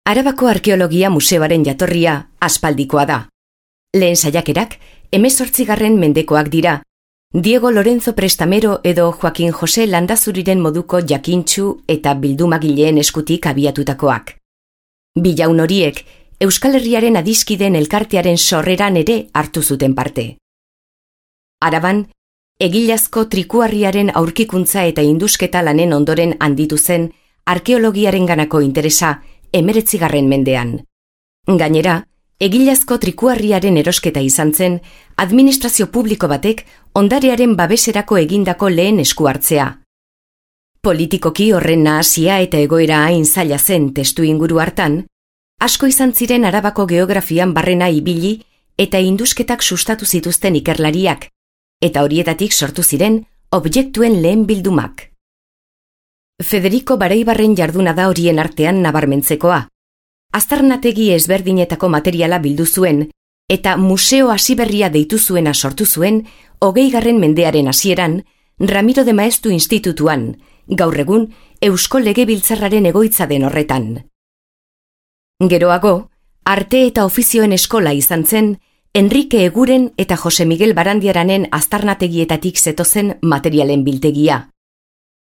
Arabako Arkeologia Museoaren jatorria aspaldikoa da. Lehen saiakerak 18. mendekoak dira, Diego Lorenzo Prestamero edo Joaquin Jose Landazuriren moduko jakintsu eta bildumagileen eskutik abiatutakoak. Bi jaun horiek Euskal Herriaren adiskideen elkartearen sorreran ere hartu zuten parte. Araban, egilazko trikuharriaren aurkikuntza eta indusketa lanen ondoren handitu zen arkeologiarenganako interesa 19. mendean. Gainera, egilazko trikuharriaren erosketa izan zen administrazio publiko batek ondarearen babeserako egindako lehen esku hartzea. Politikoki horren nahasia eta egoera hain zaila zen testu inguru hartan, asko izan ziren Arabako geografian barrena ibili eta indusketak sustatu zituzten ikerlariak, eta horietatik sortu ziren objektuen lehen bildumak. Federico Baraibarren jarduna da horien artean nabarmentzekoa. Aztarnategi ezberdinetako materiala bildu zuen, eta museo hasiberria deitu zuena sortu zuen 20. mendearen hasieran Ramiro de Maeztu Institutuan, gaur egun Eusko Legebiltzarraren egoitza den horretan. Geroago, arte eta ofizioen eskola izan zen, Enrique Eguren eta Jose Miguel Barandiaranen aztarnategietatik zetozen materialen biltegia.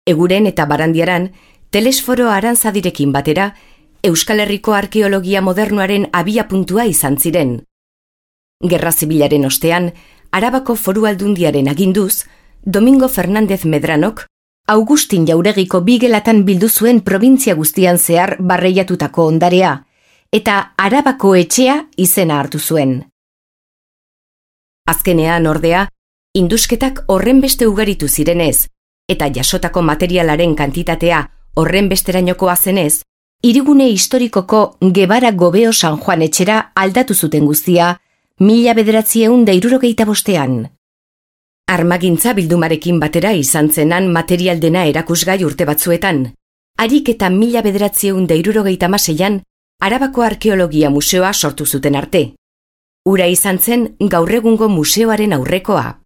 Eguren eta Barandiaran, Telesforo Arantzadirekin batera, Euskal Herriko arkeologia modernoaren abiapuntua izan ziren. Gerra Zibilaren ostean, Arabako Foru Aldundiaren aginduz, Domingo Fernández Medranok, Augustin Jauregiko 2 gelatan bildu zuen probintzia guztian zehar barreiatutako ondarea, eta Arabako etxea izena hartu zuen. Azkenean ordea, indusketak horrenbeste ugaritu zirenez, eta jasotako materialaren kantitatea horrenbesterainokoa zenez, hirigune historikoko Gebara Gobeo San Juan etxera aldatu zuten guztia 1965. Armagintza bildumarekin batera izan zenan material dena erakusgai urte batzuetan, harik eta 1976an Arabako Arkeologia Museoa sortu zuten arte. Hura izan zen gaur egungo museoaren aurrekoa.